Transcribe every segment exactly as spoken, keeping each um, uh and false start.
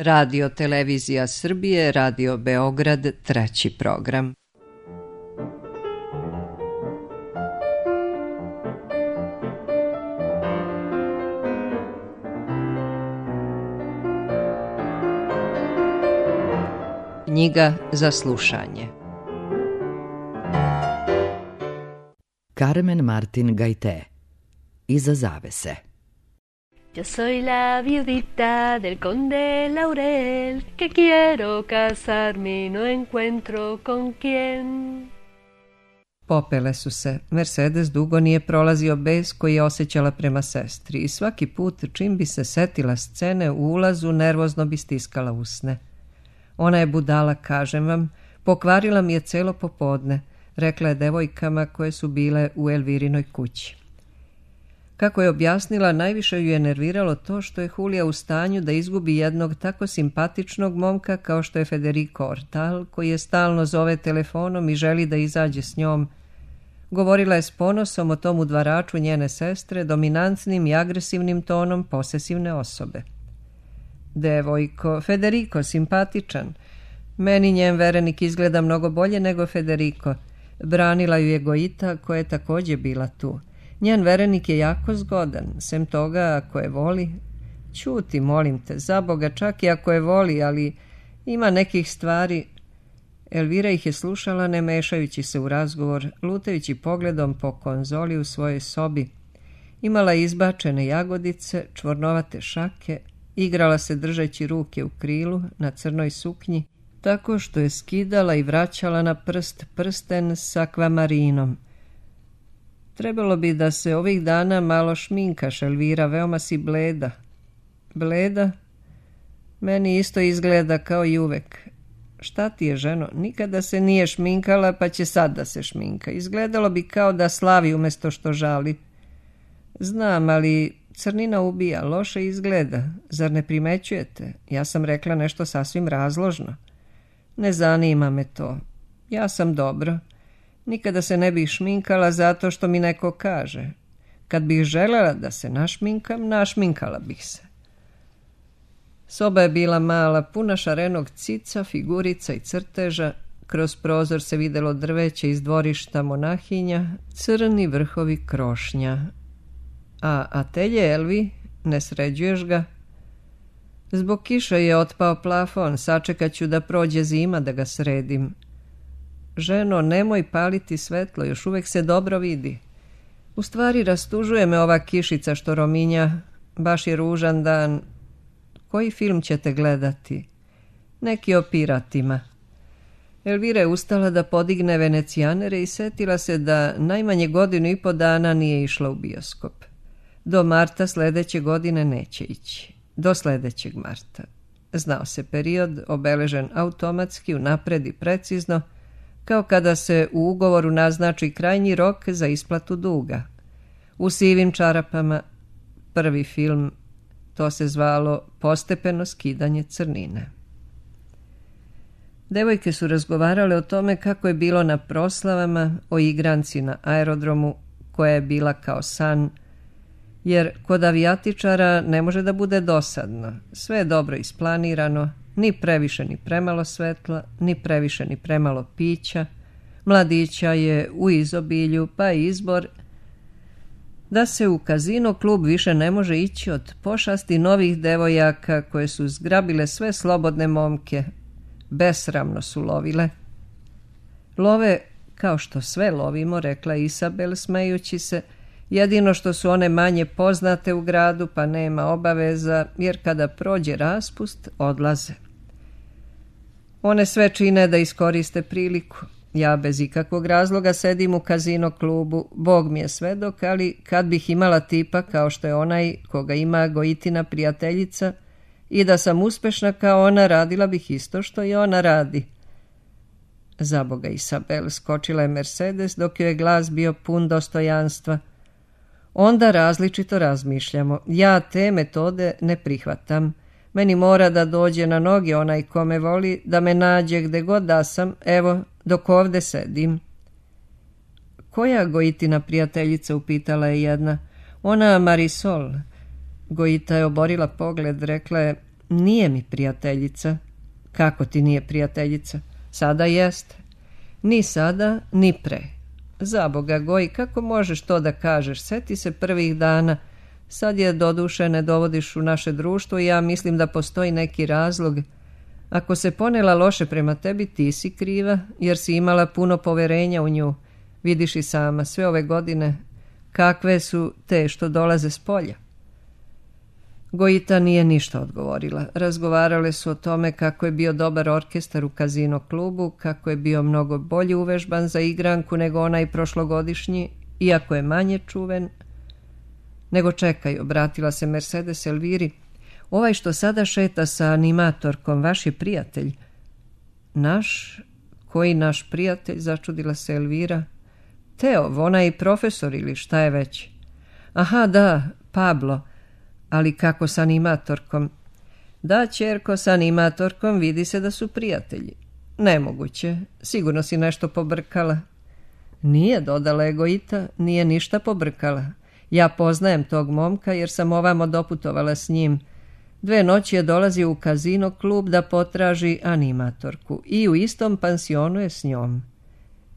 Radio Televizija Srbije, Radio Beograd, treći program. Knjiga za slušanje. Carmen Martin Gaité. Iza zavese. Yo soy la viudita del conde Laurel, que quiero casarme y no encuentro con quién. Popele su se. Mercedes dugo nije prolazio bes koji je osjećala prema sestri i svaki put čim bi se setila scene u ulazu nervozno bi stiskala usne. Ona je budala, kažem vam, pokvarila mi je celo popodne, rekla je devojkama koje su bile u Elvirinoj kući. Kako je objasnila, najviše ju je nerviralo to što je Julija u stanju da izgubi jednog tako simpatičnog momka kao što je Federico Ortal, koji je stalno zove telefonom i želi da izađe s njom. Govorila je s ponosom o tom udvaraču njene sestre, dominantnim i agresivnim tonom posesivne osobe. Devojko, Federico, simpatičan. Meni njen verenik izgleda mnogo bolje nego Federico. Branila ju je Goita, koja je također bila tu. Njen verenik je jako zgodan, sem toga ako je voli. Ćuti, molim te, za Boga, čak i ako je voli, ali ima nekih stvari. Elvira ih je slušala ne mešajući se u razgovor, lutajući pogledom po konzoli u svojoj sobi. Imala izbačene jagodice, čvornovate šake, igrala se držeći ruke u krilu na crnoj suknji, tako što je skidala i vraćala na prst prsten sa akvamarinom. Trebalo bi da se ovih dana malo šminkaš, Elvira, veoma si bleda. Bleda? Meni isto izgleda kao i uvek. Šta ti je, ženo? Nikada se nije šminkala, pa će sad da se šminka. Izgledalo bi kao da slavi umjesto što žali. Znam, ali crnina ubija, loše izgleda. Zar ne primećujete? Ja sam rekla nešto sasvim razložno. Ne zanima me to. Ja sam dobro. Nikada se ne bih šminkala zato što mi neko kaže. Kad bih želela da se našminkam, našminkala bih se. Soba je bila mala, puna šarenog cica, figurica i crteža. Kroz prozor se videlo drveće iz dvorišta monahinja, crni vrhovi krošnja. A atelje, Elvi, ne sređuješ ga? Zbog kiše je otpao plafon, sačekat ću da prođe zima da ga sredim. Ženo, nemoj paliti svetlo, još uvek se dobro vidi. U stvari rastužuje me ova kišica što rominja, baš je ružan dan. Koji film ćete gledati? Neki o piratima. Elvira je ustala da podigne venecijanere i setila se da najmanje godinu i po dana nije išla u bioskop. Do marta sledeće godine neće ići. Do sledećeg marta. Znao se period, obeležen automatski, unapred i precizno, kao kada se u ugovoru naznači krajnji rok za isplatu duga. U sivim čarapama, prvi film, to se zvalo Postepeno skidanje crnine. Devojke su razgovarale o tome kako je bilo na proslavama, o igranci na aerodromu, koja je bila kao san, jer kod avijatičara ne može da bude dosadno. Sve je dobro isplanirano, ni previše ni premalo svetla, ni previše ni premalo pića. Mladića je u izobilju, pa izbor da se u kazino klub više ne može ići od pošasti novih devojaka koje su zgrabile sve slobodne momke. Besramno su lovile. Love kao što sve lovimo, rekla Isabel smejući se, jedino što su one manje poznate u gradu pa nema obaveza, jer kada prođe raspust odlaze. One sve čine da iskoriste priliku. Ja bez ikakvog razloga sedim u kazino klubu, Bog mi je svedok, ali kad bih imala tipa kao što je onaj koga ima Goitina prijateljica i da sam uspešna kao ona, radila bih isto što i ona radi. Zaboga, Isabel, skočila je Mercedes dok joj je glas bio pun dostojanstva. Onda različito razmišljamo. Ja te metode ne prihvatam. Meni mora da dođe na noge onaj ko me voli, da me nađe gde god da sam, evo, dok ovde sedim. Koja Goitina prijateljica, upitala je jedna. Ona Marisol. Goita je oborila pogled, rekla je, Nije mi prijateljica. Kako ti nije prijateljica? Sada jeste. Ni sada, ni pre. Zaboga, Goji, kako možeš to da kažeš? Seti se prvih dana. Sad je doduše ne dovodiš u naše društvo i ja mislim da postoji neki razlog. Ako se ponela loše prema tebi, ti si kriva, jer si imala puno poverenja u nju. Vidiš i sama, sve ove godine, kakve su te što dolaze s polja. Gojita nije ništa odgovorila. Razgovarale su o tome kako je bio dobar orkestar u Kazino klubu, kako je bio mnogo bolje uvežban za igranku nego onaj prošlogodišnji, iako je manje čuven. Nego čekaj, obratila se Mercedes Elviri. Ovaj što sada šeta sa animatorkom, vaš je prijatelj. Naš? Koji naš prijatelj? Začudila se Elvira. Teo, onaj profesor ili šta je već? Aha, da, Pablo. Ali kako s animatorkom? Da, ćerko, s animatorkom vidi se da su prijatelji. Nemoguće, sigurno si nešto pobrkala. Nije, dodala je Gojita, nije ništa pobrkala. Ja poznajem tog momka jer sam ovamo doputovala s njim. Dve noći je dolazio u Kazino klub da potraži animatorku i u istom pansionu je s njom.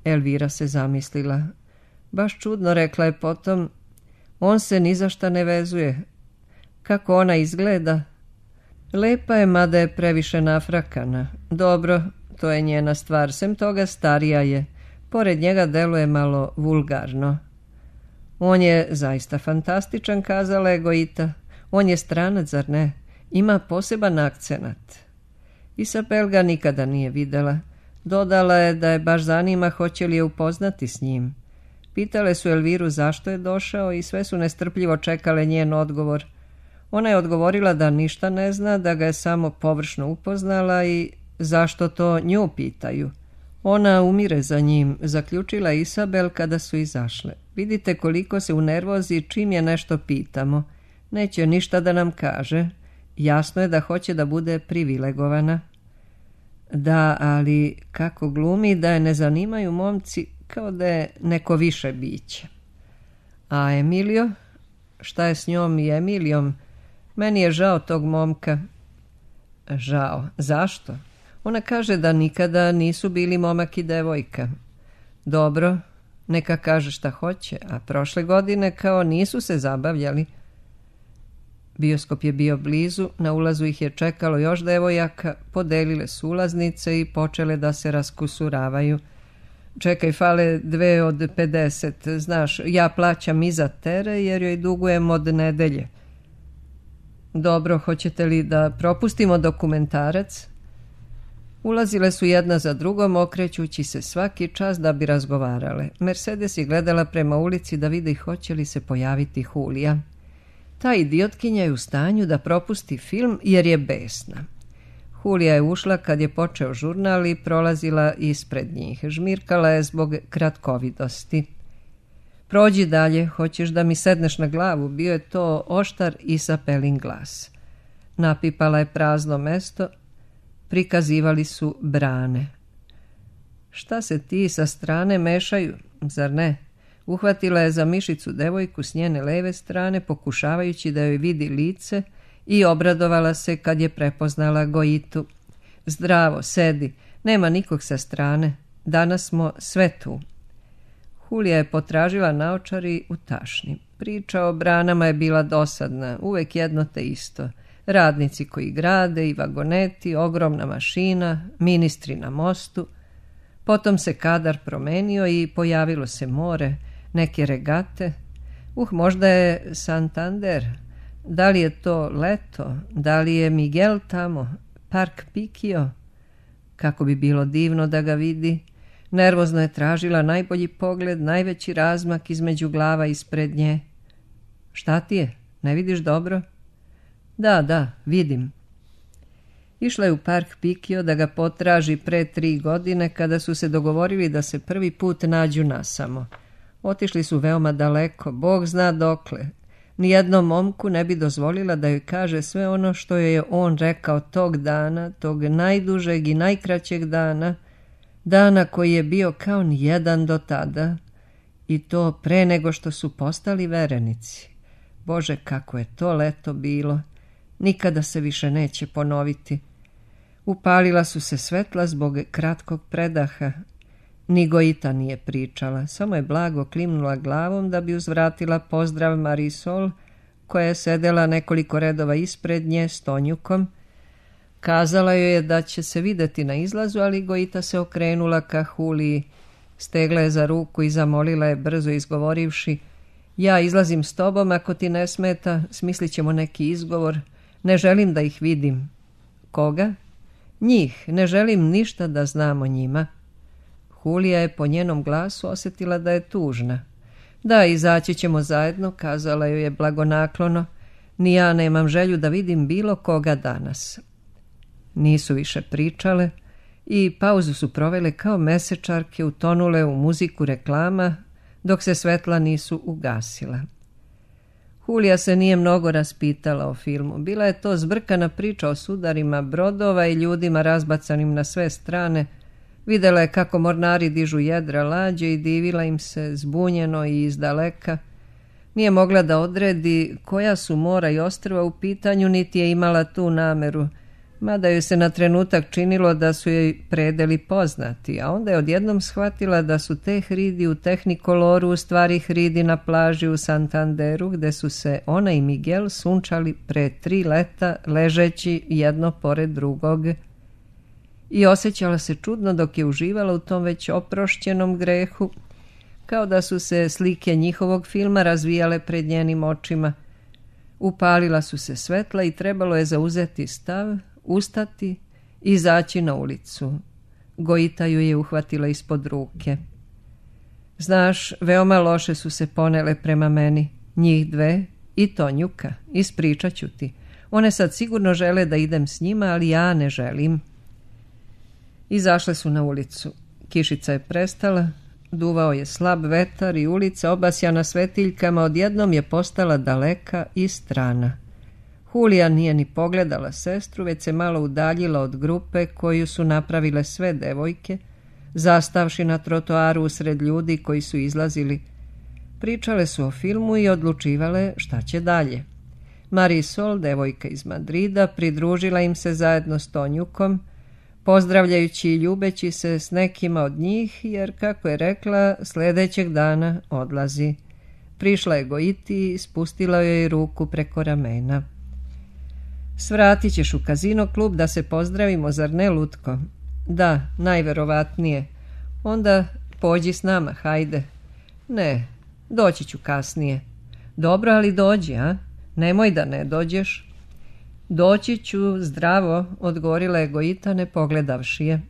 Elvira se zamislila. Baš čudno, rekla je potom. On se ni za šta ne vezuje. Kako ona izgleda? Lepa je, mada je previše nafrakana. Dobro, to je njena stvar. Sem toga starija je. Pored njega deluje malo vulgarno. On je zaista fantastičan, kazala je Gojita. On je stranac, zar ne? Ima poseban akcenat. Isabel ga nikada nije videla. Dodala je da je baš zanima hoće li je upoznati s njim. Pitale su Elviru zašto je došao i sve su nestrpljivo čekale njen odgovor. Ona je odgovorila da ništa ne zna, da ga je samo površno upoznala i zašto to nju pitaju. Ona umire za njim, zaključila Isabel kada su izašle. Vidite koliko se unervozi čim je nešto pitamo. Neće ništa da nam kaže. Jasno je da hoće da bude privilegovana. Da, ali kako glumi da je ne zanimaju momci kao da je neko više biće. A Emilio? Šta je s njom i Emilijom? Meni je žao tog momka. Žao. Zašto? Ona kaže da nikada nisu bili momak i devojka. Dobro, neka kaže šta hoće, a prošle godine kao nisu se zabavljali. Bioskop je bio blizu, na ulazu ih je čekalo još devojaka, podelile su ulaznice i počele da se raskusuravaju. Čekaj, fale dve od pedeset, znaš, ja plaćam iza tere jer joj dugujem od nedelje. Dobro, hoćete li da propustimo dokumentarac? Ulazile su jedna za drugom, okrećući se svaki čas da bi razgovarale. Mercedes je gledala prema ulici da vidi hoće li se pojaviti Julija. Ta idiotkinja je u stanju da propusti film jer je besna. Julija je ušla kad je počeo žurnal i prolazila ispred njih. Žmirkala je zbog kratkovidosti. Prođi dalje, hoćeš da mi sedneš na glavu, bio je to oštar Isabelin glas. Napipala je prazno mesto, prikazivali su brane. Šta se ti sa strane mešaju, zar ne? Uhvatila je za mišicu devojku s njene leve strane, pokušavajući da joj vidi lice i obradovala se kad je prepoznala Gojitu. Zdravo, sedi, nema nikog sa strane, danas smo sve tu. Julija je potražila naočari u tašni. Priča o branama je bila dosadna, uvek jedno te isto. Radnici koji grade i vagoneti, ogromna mašina, ministri na mostu. Potom se kadar promenio i pojavilo se more, neke regate. Uh, možda je Santander. Da li je to Leto? Da li je Miguel tamo? Park Pikio? Kako bi bilo divno da ga vidi. Nervozno je tražila najbolji pogled, najveći razmak između glava ispred nje. Šta ti je? Ne vidiš dobro? Da, da, vidim. Išla je u Park Pikio da ga potraži pre tri godine kada su se dogovorili da se prvi put nađu nasamo. Otišli su veoma daleko, Bog zna dokle. Nijednom momku ne bi dozvolila da joj kaže sve ono što joj je on rekao tog dana, tog najdužeg i najkraćeg dana, dana koji je bio kao nijedan do tada, i to pre nego što su postali verenici. Bože, kako je to leto bilo! Nikada se više neće ponoviti. Upalila su se svetla zbog kratkog predaha. Ni Gojita nije pričala, samo je blago klimnula glavom da bi uzvratila pozdrav Marisol, koja je sedela nekoliko redova ispred nje s Tonjukom. Kazala joj je da će se videti na izlazu, ali Gojita se okrenula ka Huliji, stegla je za ruku i zamolila je brzo izgovorivši: ja izlazim s tobom, ako ti ne smeta, smislit ćemo neki izgovor, ne želim da ih vidim. Koga? Njih, ne želim ništa da znam o njima. Hulija je po njenom glasu osjetila da je tužna. Da, izaći ćemo zajedno, kazala joj je blagonaklono, ni ja nemam želju da vidim bilo koga danas. Nisu više pričale i pauzu su provele kao mesečarke, utonule u muziku reklama, dok se svetla nisu ugasila. Hulija se nije mnogo raspitala o filmu. Bila je to zbrkana priča o sudarima brodova i ljudima razbacanim na sve strane. Vidjela je kako mornari dižu jedra lađe i divila im se zbunjeno i izdaleka. Nije mogla da odredi koja su mora i ostrva u pitanju, niti je imala tu nameru, mada joj se na trenutak činilo da su joj predeli poznati, a onda je odjednom shvatila da su te hridi u Tehnikoloru u stvari hridi na plaži u Santanderu, gde su se ona i Miguel sunčali pre tri leta ležeći jedno pored drugog. I osjećala se čudno dok je uživala u tom već oprošćenom grehu, kao da su se slike njihovog filma razvijale pred njenim očima. Upalila su se svetla i trebalo je zauzeti stav, ustati i izaći na ulicu. Gojita ju je uhvatila ispod ruke. Znaš, veoma loše su se ponele prema meni, njih dve i Tonjuka, ispričat ću ti. One sad sigurno žele da idem s njima, ali ja ne želim. Izašle su na ulicu. Kišica je prestala, duvao je slab vetar i ulica obasjana svetiljkama odjednom je postala daleka i strana. Hulija nije ni pogledala sestru, već se malo udaljila od grupe koju su napravile sve devojke, zastavši na trotoaru usred ljudi koji su izlazili. Pričale su o filmu i odlučivale šta će dalje. Marisol, devojka iz Madrida, pridružila im se zajedno s Tonjukom, pozdravljajući i ljubeći se s nekima od njih, jer, kako je rekla, sljedećeg dana odlazi. Prišla je Gojiti i spustila joj ruku preko ramena. Svratit ćeš u kazino klub da se pozdravimo, zar ne, Lutko? Da, najverovatnije. Onda pođi s nama, hajde. Ne, doći ću kasnije. Dobro, ali dođi, a? Nemoj da ne dođeš. Doći ću, zdravo, odgovorila je Gojita, ne pogledavši je.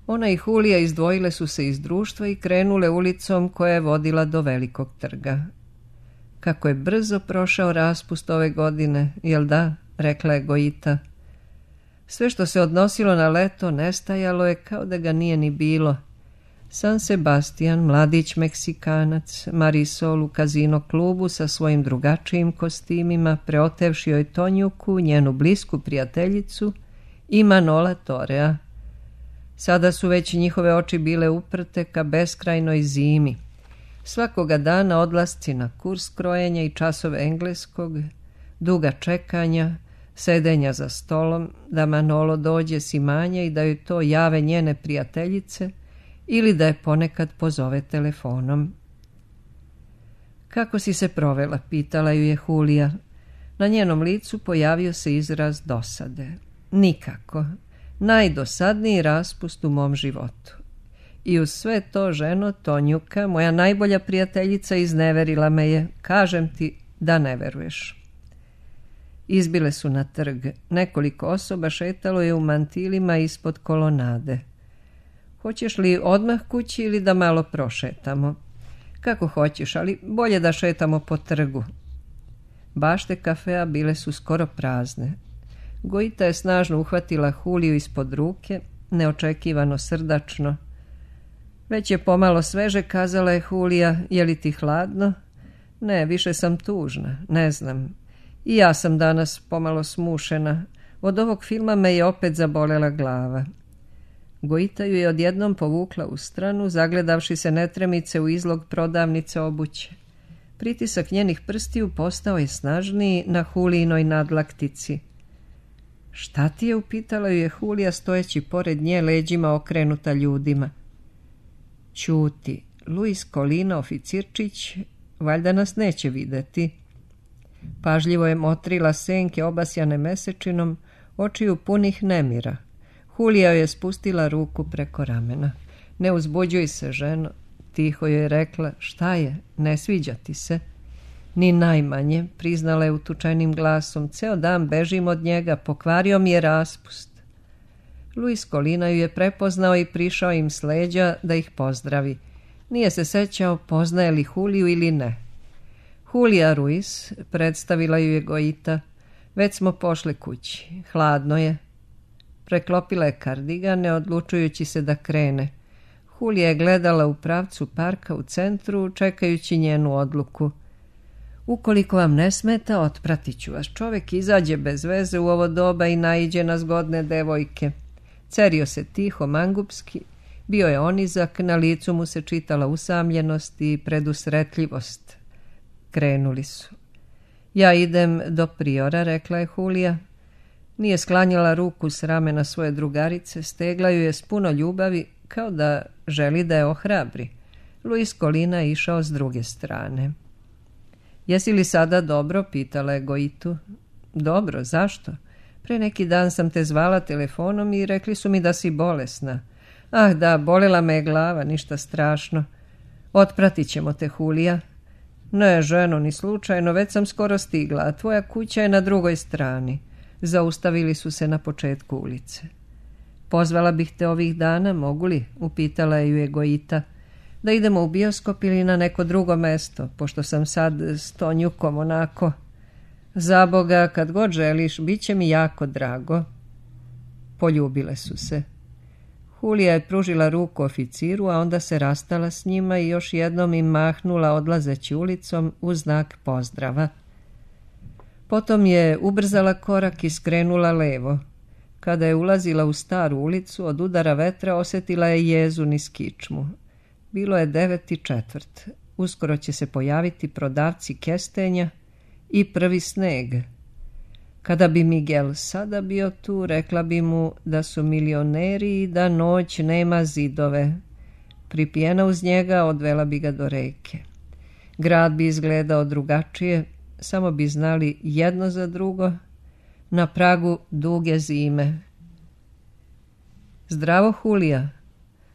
Ona i Hulija izdvojile su se iz društva i krenule ulicom koja je vodila do Velikog trga. Kako je brzo prošao raspust ove godine, jel da, rekla je Gojita. Sve što se odnosilo na leto nestajalo je kao da ga nije ni bilo. San Sebastian, mladić Meksikanac, Marisol u kazino klubu sa svojim drugačijim kostimima, preotevši joj Tonjuku, njenu blisku prijateljicu, i Manola Torea. Sada su već njihove oči bile uprte ka beskrajnoj zimi. Svakoga dana odlasci na kurs krojenja i časove engleskog, duga čekanja, sedenja za stolom, da Manolo dođe s imanja i da joj to jave njene prijateljice, ili da je ponekad pozove telefonom. Kako si se provela, pitala ju je Hulija. Na njenom licu pojavio se izraz dosade. Nikako. Najdosadniji raspust u mom životu. I uz sve to, ženo, Tonjuka, moja najbolja prijateljica, izneverila me je. Kažem ti da ne veruješ. Izbile su na trg. Nekoliko osoba šetalo je u mantilima ispod kolonade. Hoćeš li odmah kući ili da malo prošetamo? Kako hoćeš, ali bolje da šetamo po trgu. Bašte kafea bile su skoro prazne. Gojita je snažno uhvatila Huliju ispod ruke, neočekivano srdačno. Već je pomalo sveže, kazala je Hulija, je li ti hladno? Ne, više sam tužna, ne znam. I ja sam danas pomalo smušena. Od ovog filma me je opet zabolela glava. Gojita ju je odjednom povukla u stranu, zagledavši se netremice u izlog prodavnice obuće. Pritisak njenih prstiju postao je snažniji na Hulijinoj nadlaktici. Šta ti je, upitala ju je Hulija stojeći pored nje, leđima okrenuta ljudima. Ćuti, Luis Kolina, oficirčić, valjda nas neće videti. Pažljivo je motrila senke obasjane mesečinom, očiju punih nemira. Hulija je spustila ruku preko ramena. Ne uzbuđuj se, ženo, tiho je rekla. Šta je, ne sviđa ti se? Ni najmanje, priznala je utučenim glasom. Ceo dan bežim od njega, pokvario mi je raspust. Luis Kolina ju je prepoznao i prišao im s leđa da ih pozdravi. Nije se sećao poznaje li Huliju ili ne. Hulija Ruiz, predstavila ju je Gojita. Već smo pošli kući, hladno je. Preklopila je kardigan, ne odlučujući se da krene. Hulija je gledala u pravcu parka u centru, čekajući njenu odluku. Ukoliko vam ne smeta, otpratit ću vas. Čovek izađe bez veze u ovo doba i naiđe na zgodne devojke. Cerio se tiho, mangupski. Bio je onizak, na licu mu se čitala usamljenost i predusretljivost. Krenuli su. Ja idem do priora, rekla je Hulija. Nije sklanjala ruku s ramena svoje drugarice, stegla ju je s puno ljubavi, kao da želi da je ohrabri. Luis Kolina je išao s druge strane. Jesi li sada dobro, pitala je Gojitu. Dobro, zašto? Pre neki dan sam te zvala telefonom i rekli su mi da si bolesna. Ah da, bolela me je glava, ništa strašno. Otpratit ćemo te, Hulija. Ne, ženo, ni slučajno, već sam skoro stigla, a tvoja kuća je na drugoj strani. Zaustavili su se na početku ulice. Pozvala bih te ovih dana, mogu li? Upitala ju je Gojita. Da idemo u bioskop ili na neko drugo mesto, pošto sam sad s Tonjukom onako. Za Boga, kad god želiš, bit će mi jako drago. Poljubile su se. Hulija je pružila ruku oficiru, a onda se rastala s njima i još jednom im mahnula odlazeći ulicom u znak pozdrava. Potom je ubrzala korak i skrenula levo. Kada je ulazila u staru ulicu, od udara vetra osjetila je jezu niz kičmu. Bilo je devet i četvrt. Uskoro će se pojaviti prodavci kestenja i prvi sneg. Kada bi Miguel sada bio tu, rekla bi mu da su milioneri i da noć nema zidove. Pripijena uz njega, odvela bi ga do reke. Grad bi izgledao drugačije, samo bi znali jedno za drugo, na pragu duge zime. Zdravo, Hulija.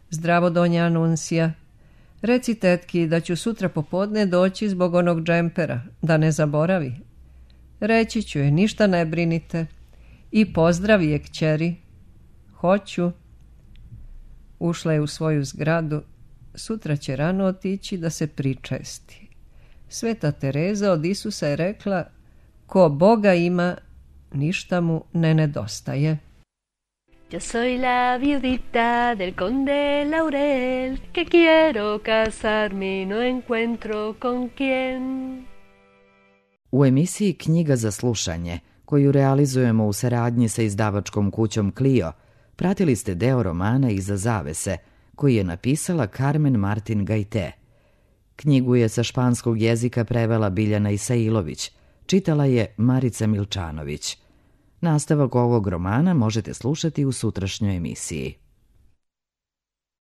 Zdravo, donja Anunsija. Reci tetki da ću sutra popodne doći zbog onog džempera, da ne zaboravi. Reći ću je, ništa ne brinite. I pozdravi je kćeri. Hoću. Ušla je u svoju zgradu. Sutra će rano otići da se pričesti. Sveta Tereza od Isusa je rekla, ko Boga ima, ništa mu ne nedostaje. Yo soy la viudita del conde Laurel, que quiero casarme y no encuentro con quién. U emisiji Knjiga za slušanje, koju realizujemo u saradnji sa izdavačkom kućom Clio, pratili ste deo romana Iza zavese, koji je napisala Carmen Martin Gajte. Knjigu je sa španskog jezika prevela Biljana Isailović, čitala je Marica Milčanović. Nastavak ovog romana možete slušati u sutrašnjoj emisiji.